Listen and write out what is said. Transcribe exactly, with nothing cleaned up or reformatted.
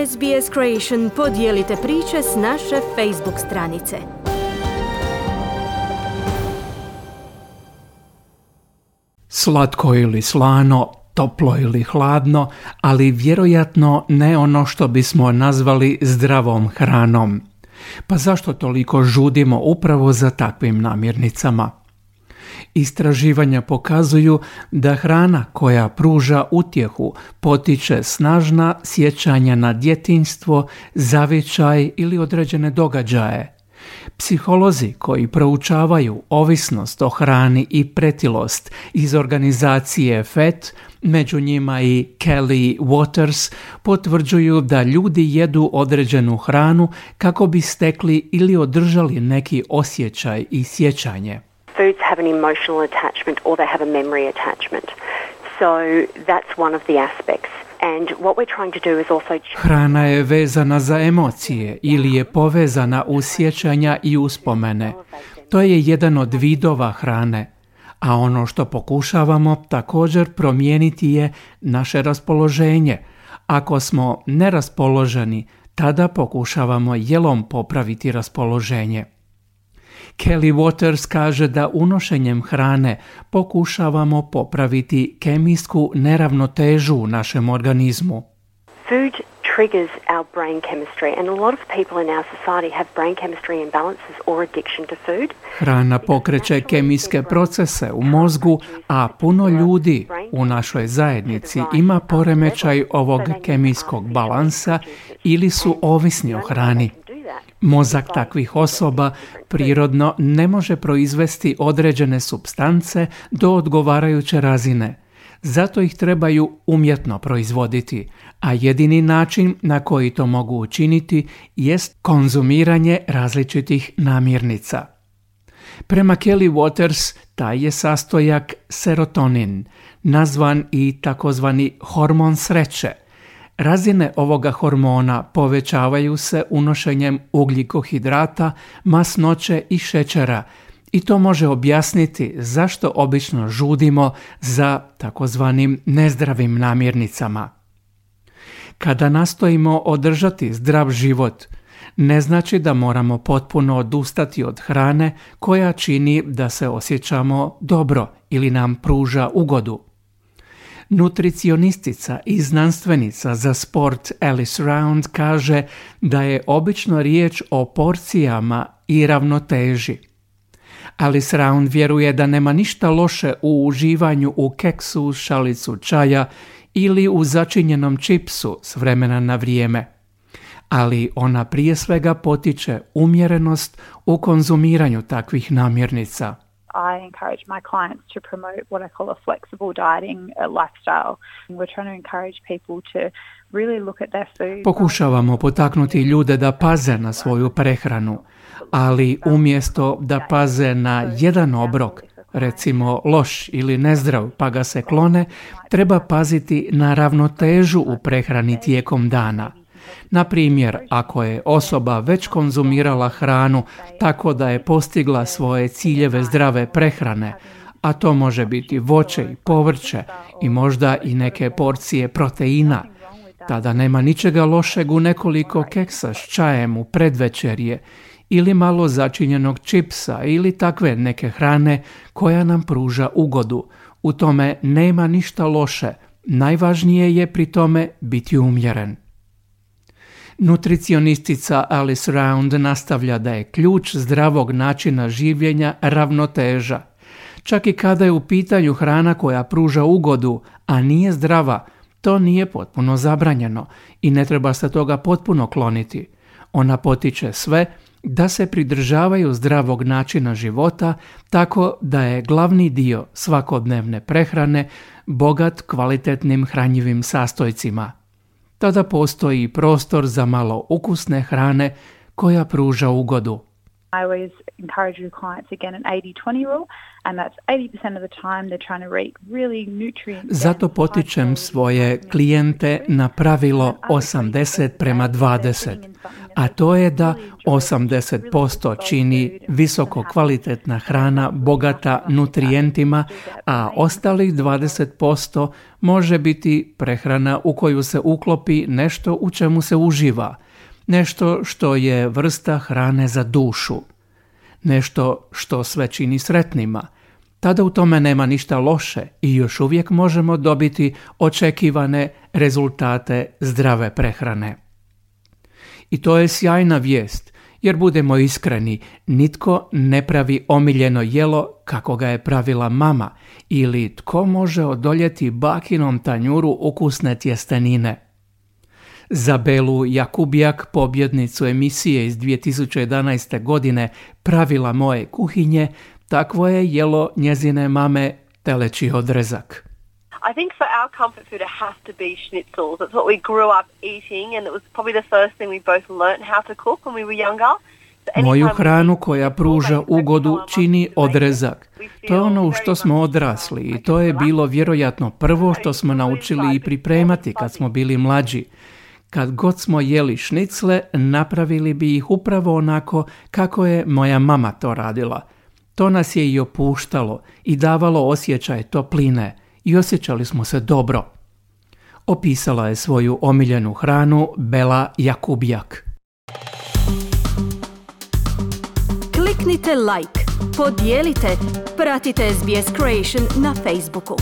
S B S Creation podijelite priče s naše Facebook stranice. Slatko ili slano, toplo ili hladno, ali vjerojatno ne ono što bismo nazvali zdravom hranom. Pa zašto toliko žudimo upravo za takvim namirnicama? Istraživanja pokazuju da hrana koja pruža utjehu potiče snažna sjećanja na djetinjstvo, zavičaj ili određene događaje. Psiholozi koji proučavaju ovisnost o hrani i pretilost iz organizacije F E T, među njima i Kelly Waters, potvrđuju da ljudi jedu određenu hranu kako bi stekli ili održali neki osjećaj i sjećanje. Foods have an emotional attachment or they have a memory attachment. So that's one of the aspects. And what we're trying to do is also... Hrana je vezana za emocije ili je povezana uz sjećanja i uspomene. To je jedan od vidova hrane. A ono što pokušavamo također promijeniti je naše raspoloženje. Ako smo neraspoloženi, tada pokušavamo jelom popraviti raspoloženje. Kelly Waters kaže da unošenjem hrane pokušavamo popraviti kemijsku neravnotežu u našem organizmu. Food triggers our brain chemistry and a lot of people in our society have brain chemistry imbalances or addiction to food. Hrana pokreće kemijske procese u mozgu, a puno ljudi u našoj zajednici ima poremećaj ovog kemijskog balansa ili su ovisni o hrani. Mozak takvih osoba prirodno ne može proizvesti određene supstance do odgovarajuće razine. Zato ih trebaju umjetno proizvoditi, a jedini način na koji to mogu učiniti jest konzumiranje različitih namirnica. Prema Kelly Waters, taj je sastojak serotonin, nazvan i takozvani hormon sreće. Razine ovoga hormona povećavaju se unošenjem ugljikohidrata, masnoće i šećera i to može objasniti zašto obično žudimo za takozvanim nezdravim namirnicama. Kada nastojimo održati zdrav život, ne znači da moramo potpuno odustati od hrane koja čini da se osjećamo dobro ili nam pruža ugodu. Nutricionistica i znanstvenica za sport Alice Round kaže da je obično riječ o porcijama i ravnoteži. Alice Round vjeruje da nema ništa loše u uživanju u keksu, šalicu čaja ili u začinjenom čipsu s vremena na vrijeme. Ali ona prije svega potiče umjerenost u konzumiranju takvih namirnica. I encourage my clients to promote what I call a flexible dieting lifestyle. We're trying to encourage people to really look at their food. Pokušavamo potaknuti ljude da paze na svoju prehranu, ali umjesto da paze na jedan obrok, recimo loš ili nezdrav, pa ga se klone, treba paziti na ravnotežu u prehrani tijekom dana. Na primjer, ako je osoba već konzumirala hranu tako da je postigla svoje ciljeve zdrave prehrane, a to može biti voće i povrće i možda i neke porcije proteina, tada nema ničega lošeg u nekoliko keksa s čajem u predvečerje ili malo začinjenog čipsa ili takve neke hrane koja nam pruža ugodu. U tome nema ništa loše, najvažnije je pri tome biti umjeren. Nutricionistica Alice Round nastavlja da je ključ zdravog načina življenja ravnoteža. Čak i kada je u pitanju hrana koja pruža ugodu, a nije zdrava, to nije potpuno zabranjeno i ne treba se toga potpuno kloniti. Ona potiče sve da se pridržavaju zdravog načina života tako da je glavni dio svakodnevne prehrane bogat kvalitetnim hranjivim sastojcima. Tada postoji prostor za malo ukusne hrane koja pruža ugodu. I always encourage your clients again an eighty twenty rule, and that's eighty percent of the time they're trying to eat really nutrient. Zato potičem svoje klijente na pravilo osamdeset prema dvadeset. a to je da osamdeset posto čini visoko kvalitetna hrana bogata nutrijentima, a ostalih dvadeset posto može biti prehrana u koju se uklopi nešto u čemu se uživa, nešto što je vrsta hrane za dušu, nešto što sve čini sretnima. Tada u tome nema ništa loše i još uvijek možemo dobiti očekivane rezultate zdrave prehrane. I to je sjajna vijest, jer budemo iskreni, nitko ne pravi omiljeno jelo kako ga je pravila mama ili tko može odoljeti bakinom tanjuru ukusne tjestenine. Za Belu Jakubjak, pobjednicu emisije iz dvije tisuće jedanaeste. godine Pravila moje kuhinje, takvo je jelo njezine mame teleći odrezak. I think for our comfort food it has to be schnitzels. That's what we grew up eating and it was probably the first thing we both learnt how to cook when we were younger. Moju hranu koja pruža ugodu čini odrezak. To je ono u što smo odrasli i to je bilo vjerojatno prvo što smo naučili i pripremati kad smo bili mlađi. Kad god smo jeli šnicle, napravili bi ih upravo onako kako je moja mama to radila. To nas je i opuštalo i davalo osjećaj topline i osjećali smo se dobro. Opisala je svoju omiljenu hranu Bela Jakubjak. Kliknite like, podijelite, pratite S B S Creation na Facebooku.